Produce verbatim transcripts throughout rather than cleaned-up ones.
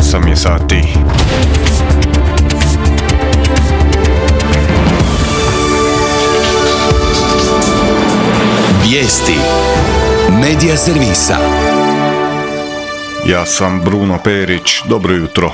osam je sati. Vijesti Medija servisa. Ja sam Bruno Perić, dobro jutro.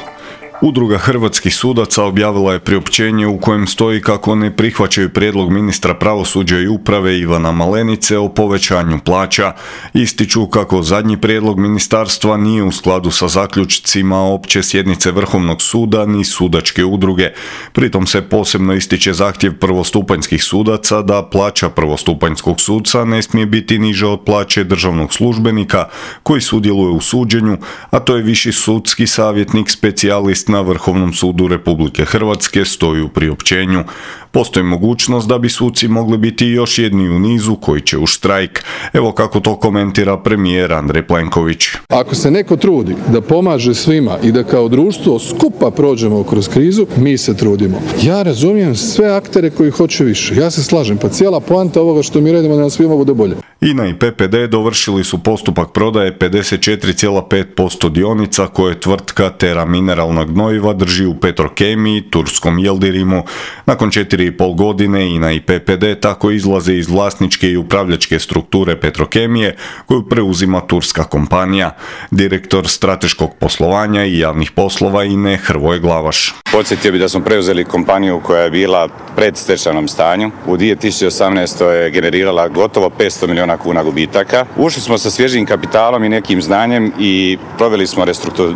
Udruga hrvatskih sudaca objavila je priopćenje u kojem stoji kako ne prihvaćaju prijedlog ministra pravosuđa i uprave Ivana Malenice o povećanju plaća. Ističu kako zadnji prijedlog ministarstva nije u skladu sa zaključcima opće sjednice Vrhovnog suda ni sudačke udruge. Pritom se posebno ističe zahtjev prvostupanjskih sudaca da plaća prvostupanjskog suca ne smije biti niža od plaće državnog službenika koji sudjeluje u suđenju, a to je viši sudski savjetnik specijalist na Vrhovnom sudu Republike Hrvatske, stoji u priopćenju. Postoji mogućnost da bi suci mogli biti još jedni u nizu koji će u štrajk. Evo kako to komentira premijer Andrej Plenković. Ako se neko trudi da pomaže svima i da kao društvo skupa prođemo kroz krizu, mi se trudimo. Ja razumijem sve aktere koji hoće više. Ja se slažem, pa cijela poanta ovoga što mi radimo da nam svima bude bolje. I N A i P P D dovršili su postupak prodaje pedeset četiri zarez pet posto dionica koje tvrtka Terra Mineralna gnojiva drži u Petrokemiji, turskom Yıldırım'u. Nakon četiri i pol godine I N A i P P D tako izlaze iz vlasničke i upravljačke strukture Petrokemije koju preuzima turska kompanija. Direktor strateškog poslovanja i javnih poslova I N A Hrvoje Glavaš. Podsjetio bi da smo preuzeli kompaniju koja je bila pred stečajnom stanju. U dvije tisuće osamnaestoj je generirala gotovo petsto milijuna kuna gubitaka. Ušli smo sa svježim kapitalom i nekim znanjem i proveli smo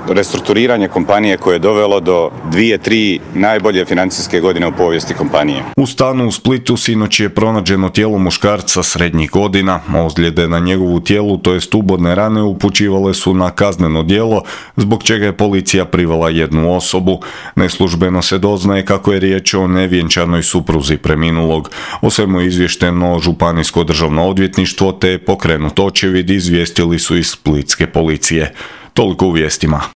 restrukturiranje kompanije koje je dovelo do dvije, tri najbolje financijske godine u povijesti kompanije. U stanu u Splitu sinoć je pronađeno tijelo muškarca srednjih godina. Ozljede na njegovu tijelu, to jest ubodne rane, upućivale su na kazneno djelo, zbog čega je policija privela jednu osobu. Neslužbeno se doznaje kako je riječ o nevjenčanoj supruzi preminulog. O svemu je izvješteno Županijsko državno odvjetništvo te pokrenut očevid, izvijestili su iz splitske policije. Toliko u vijestima.